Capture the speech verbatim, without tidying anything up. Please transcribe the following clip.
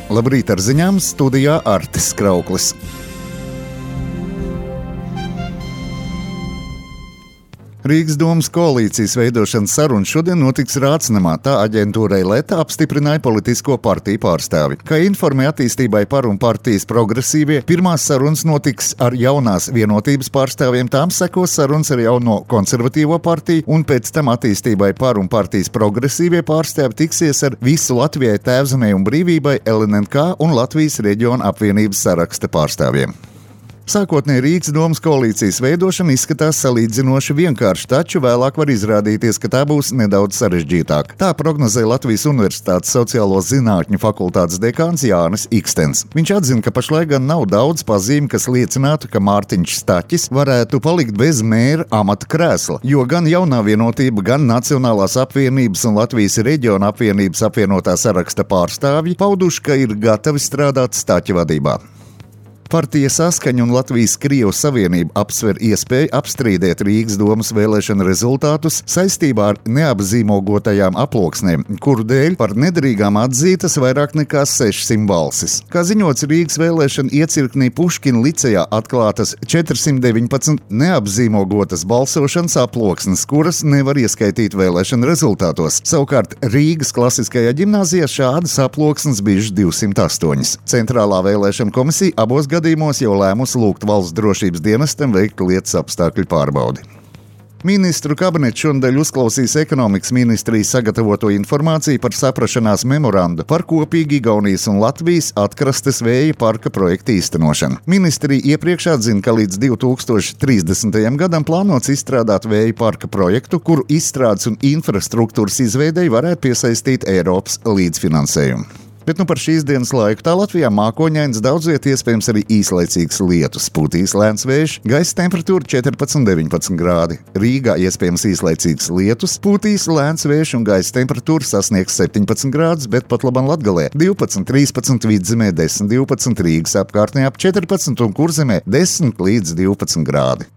Labrīt ar ziņām, studijā Artis Krauklis. Rīgas domas koalīcijas veidošanas sarunas šodien notiks Rācnamā. Tā aģentūrai Leta apstiprināja politisko partiju pārstāvi. Kā informēja attīstībai par un partijas progresīvie, pirmās sarunas notiks ar jaunās vienotības pārstāvjiem, tām sekos sarunas ar jauno konservatīvo partiju, un pēc tam attīstībai par un partijas progresīvie pārstāvi tiksies ar visu Latvijai Tēvzemei un brīvībai L N N K un Latvijas reģiona apvienības saraksta pārstāvjiem. Sākotnēji Rīgas domas koalīcijas veidošana izskatās salīdzinoši vienkārši, taču vēlāk var izrādīties, ka tā būs nedaudz sarežģītāka. Tā prognozē Latvijas Universitātes sociālo zinātņu fakultātes dekāns Jānis Ikstens. Viņš atzina, ka pašlaik gan nav daudz pazīmi, kas liecinātu, ka Mārtiņš Staķis varētu palikt bez mēra amata krēsla, jo gan jaunā vienotība, gan Nacionālās apvienības un Latvijas reģiona apvienības apvienotā saraksta pārstāvji pauduši, ka ir gatavi strādāt Staķa vadībā. Partija Saskaņa un Latvijas Krievu Savienība apsver iespēju apstrīdēt Rīgas domas vēlēšana rezultātus saistībā ar neapzīmogotajām aploksnēm, kuru dēļ par nederīgām atzītas vairāk nekā sešsimt balsis. Kā ziņots, Rīgas vēlēšana iecirknī Puškina licejā atklātas četrsimt deviņpadsmit neapzīmogotas balsošanas aploksnes, kuras nevar ieskaitīt vēlēšana rezultātos. Savukārt Rīgas klasiskajā ģimnāzijā šādas aploksnes bijušas divsimt astoņas. Centrālā vēlēšana komisija abos gadījumos gadījumos jau lēmusi lūgt valsts drošības dienestam veikt lietas apstākļu pārbaudi. Ministru kabinets šonadēļ uzklausīs ekonomikas ministrijas sagatavoto informāciju par saprašanās memorandu par kopīgi Igaunijas un Latvijas atkrastes vēja parka projektu īstenošanu. Ministrija iepriekš atzina, ka līdz divi tūkstoši trīsdesmitajam gadam plānots izstrādāt vēja parka projektu, kuru izstrādes un infrastruktūras izveidei varētu piesaistīt Eiropas līdzfinansējumu. Bet nu par šīs dienas laiku tā Latvijā mākoņains, daudz viet iespējams arī īslaicīgs lietus. Pūtīs lēns vējš, gaisa temperatūra četrpadsmit deviņpadsmit grādi. Rīgā iespējams īslaicīgs lietus, pūtīs lēns vējš un gaisa temperatūra sasniegs septiņpadsmit grādus, bet pat labam Latgalē divpadsmit trīspadsmit, Vidzemē desmit divpadsmit, Rīgas apkārtnē ap četrpadsmit un Kurzemē desmit līdz divpadsmit grādi.